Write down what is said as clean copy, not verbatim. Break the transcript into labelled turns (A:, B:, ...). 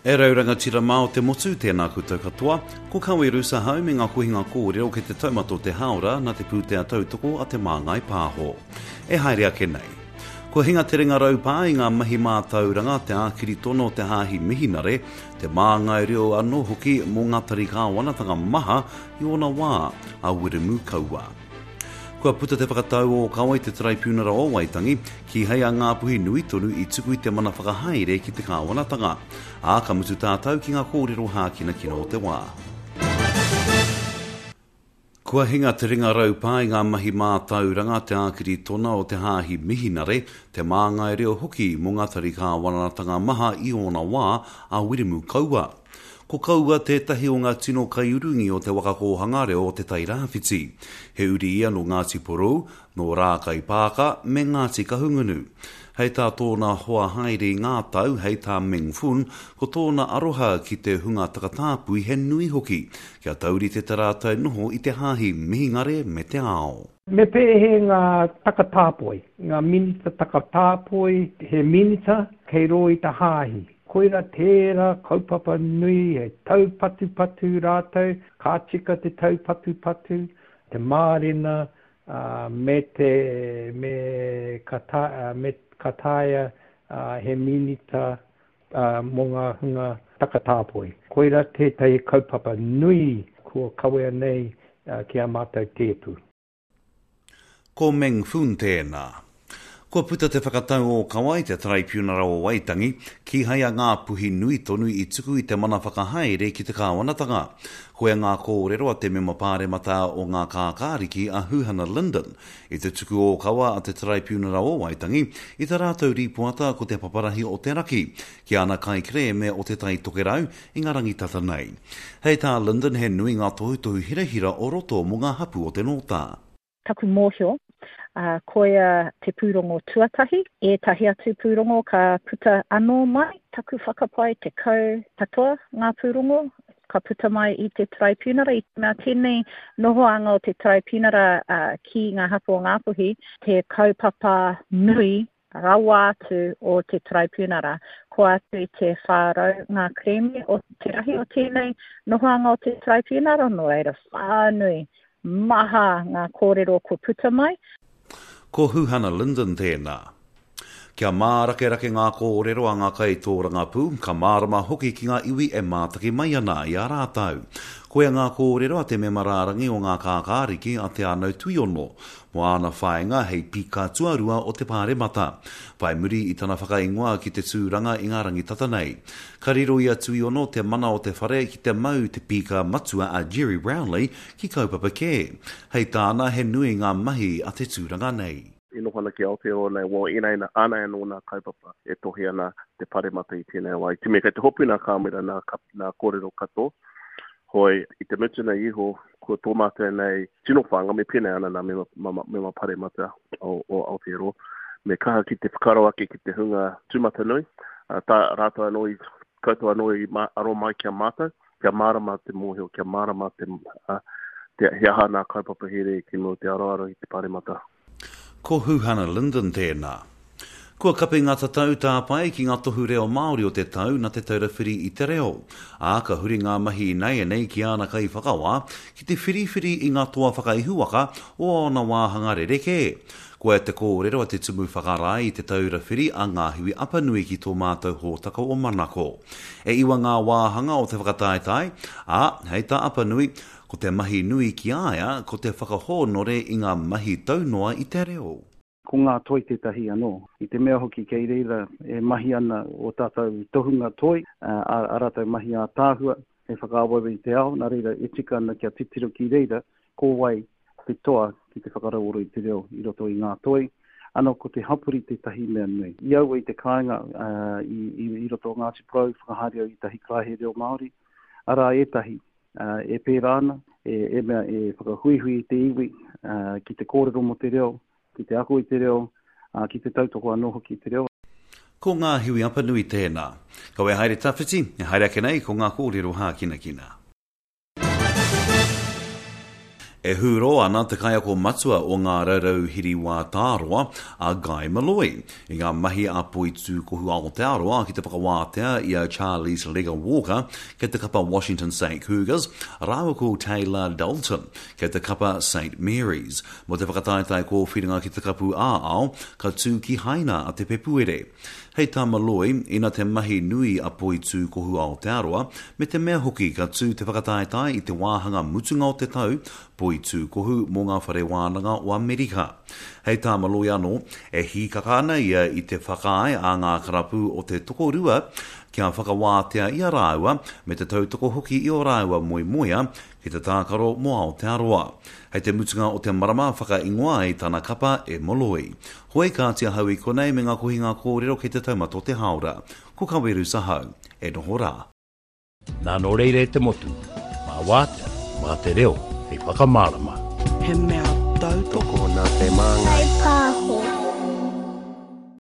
A: E rau rangatira mā o te motu, tēnā koutou katoa. Ko Kawe Roos ahau me ngā kohinga kōrero kei te taumata o te hāora nā te pūtea tautoko a Te Māngai Pāho. E haere ake nei. Kua hinga te ringa raupā i ngā mahi mātauranga, te ākiri tono o te Hāhi Mihinare, te māngai reo anō hoki mō ngā tari kāwanatanga maha i ōna wā, a Wiremu Kaua. Kua puta te whakatau ōkawa i te Taraipiunara o Waitangi, kīhai a Ngāpuhi nui tonu i tuku i te mana whakahaere ki te kāwanatanga. Ā, ka mutu tātau ki ngā kōrero hākinakina o te wā. Kua hinga te ringa raupā i ngā mahi mātauranga, te ākiri tona o te Hāhi Mihinare, te māngai reo hoki mō ngā tari kāwanatanga maha i ōna wā, a Wiremu Kaua. Ko Kaua tētahi o ngā tino kaiurungi o te waka kōhanga reo o Te Tai Rāwhiti. He uri ia nō Ngāti Porou, nō Rākaipaaka me Ngāti Kahungunu. Hei tā tōna hoa haere i ngā tau, hei tā Meng Fun, ko tōna aroha ki te hunga takatāpui he nui hoki, kia taurite ta rātou noho i te hāhi Mihingare me te ao.
B: Me pēhē ngā takatāpoi, ngā minita takatāpoi, he minita kei rō i te hāhi. Koira tērā kaupapa nui he taupatupatu rātou, ka tika te taupatupatu, te mārena, me te, me ka ta, me ka taea he minita mō ngā hunga takatāpoi. Koira tētahi kaupapa nui kua kawea nei ki a mātou tēpu.
A: Ko Meng Foon tēnā. Kua puta te whakatau ōkawa i te Taraipiunara o Waitangi, kīhai a Ngāpuhi nui tonu i tuku i te mana whakahaere ki te kāwanatanga. Koia ngā kōrero a te mema pāremata o Ngā Kākāriki a Huhana Lyndon i te tuku ōkawa a te Taraipiunara o Waitangi i tā rātou rīpoata ko te paparahi o te raki ki ana kaikerēme o Te Tai Tokerau i ngā rangi tata nei. Hei tā Lyndon he nui ngā tohutohu hirahira o roto mō ngā hapū o te Nōta.
C: Taku mōhio, ā, koia te pūrongo tuatahi, ētahi atu pūrongo ka puta anō mai, taku whakapae 10 katoa ngā pūrongo ka puta mai i te Taraipiunara, i te mea tēnei nohoanga o te Taraipiunara ki ngā hapū o Ngāpuhi, te kaupapa nui rawa atu o te Taraipiunara. Kua atu i te 400 ngā kerēme o te rahi o tēnei nohoanga o te Taraipiunara, nō reira whānui, maha ngā kōrero kua puta mai.
A: Ko Huhana Lyndon tēnā. Kia mārakerake ngā kōrero a ngā kaitōrangapū, ka mārama hoki ki ngā iwi e mātaki mai ana i a rātou. Koia ngā kōrero a te mema rārangi o Ngā Kākāriki a Te Anau Tuiono, mō āna whāinga hei pika tuarua o te Pāremata, whai muri i tana whakaingoa ki te tūranga i ngā rangi tata nei. Ka riro i a Tuiono te mana o te whare ki te mau te pīka matua a Gerry Brownlee ki kaupapa kē. Hei tāna he nui ngā mahi a te tūranga nei.
D: E noho ana ki Aotearoa nei, well, ēnei nā, ānei anō nā kaupapa e tohe ana te Pāremata i tēnei wā. I te mea kei te hopu nā kāmera, nā, nā kōrero katoa, Hoi, i te mutunga iho, ko tō mātou nei tino whāinga, me pēnei ana nā mema, mama, mema paremata o, o Aotearoa, me kaha ki te whakaaro ake ki te hunga tūmatanui, tā rātou anō i, koutou anō i mā, aro mai ki a mātou, kia mārama te mōhio, kia mārama te, uh, te, he aha nā kaupapa here ki mua o te aroaro i te paremata.
A: Ko Huhana Lyndon tēnā. Kua kapi ngā tatau tāpae ki ngā tohu reo Māori o te tau nā Te Taura Whiri i te Reo, ā, ka huri ngā mahi ināianei ki āna kaiwhakawā ki te whiriwhiri i ngā toa whakaihuwaka o ōna wāhanga rerekē. Koia te kōrero a te Tumu Whakarae i Te Taura Whiri a Ngāhiwi Apanui ki tō mātou hōtaka o Manako. E iwa ngā wāhanga o te whakataetae, ā, hei tā Apanui, Ko te mahi nui ki a ia ko te whakahōnore i ngā mahi taunoa i te reo.
E: Ko ngā toi tētahi anō. I te mea hoki kei reira e mahi ana ō tātou tohunga toi, ā rātou mahi ātaahua hei whakaaweawe i te ao, nā reira e tika ana kia titiro ki reira ko wai te toa ki te whakarauora i te reo i roto i ngā toi. Anō ko te hapori tētahi mea nui. I aua i te kāinga i roto o Ngāti Porou, whakahaere au i ētahi karaehe reo Māori, arā ētahi e pērā ana, e mea e whakahuihui i te iwi ki te kōrero mō te reo, ki te ako i te reo, ki te tautoko anō hoki i te reo.
A: Ko Ngāhiwi Apanui tēnā. Kaua e haere tawhiti, e haere ake nei ko ngā kōrero hākinakina. E hūrō ana te kaiako matua o Ngā Raurau Hiriwā Tāroa, a Guy Molloy, i ngā mahi a Poitūkohu Aotearoa ki te whakawātea i a Charlize Lega-Walker kei te kapa Washington State Cougars rāua ko Taylah Dalton kei te kapa Saint Mary's mō te whakataetae kōwhiringa ki te Kapu ā-Ao ka tū ki Haina a te Pepuere. Hei tā Molloy, ina te mahi nui a Poitūkohu Aotearoa, me te mea hoki ka tū te whakataetae i te wāhanga mutunga o te tau, Poitūkohu mō ngā whare wānanga o Amerika. Hei tā Molloy anō, e hīkaka ana ia i te whakaae a ngā karapu o te tokorua kia whakawātea i a rāua me te tautoko hoki i ō rāua moemoea ki te tākaro mō Aotearoa. Hei te mutunga o te marama whakaingoa ai tana kapa e Molloy. Hoi kāti ahau i konei me ngā kohinga kōrero kei te taumata o te hāora. Ko Kaweru Sahau. E noho rā.
F: Nā nō reira e te motu, mā wātea, mā te reo hei whakamārama.
G: He mea tautoko.
H: Toko nā te māngai.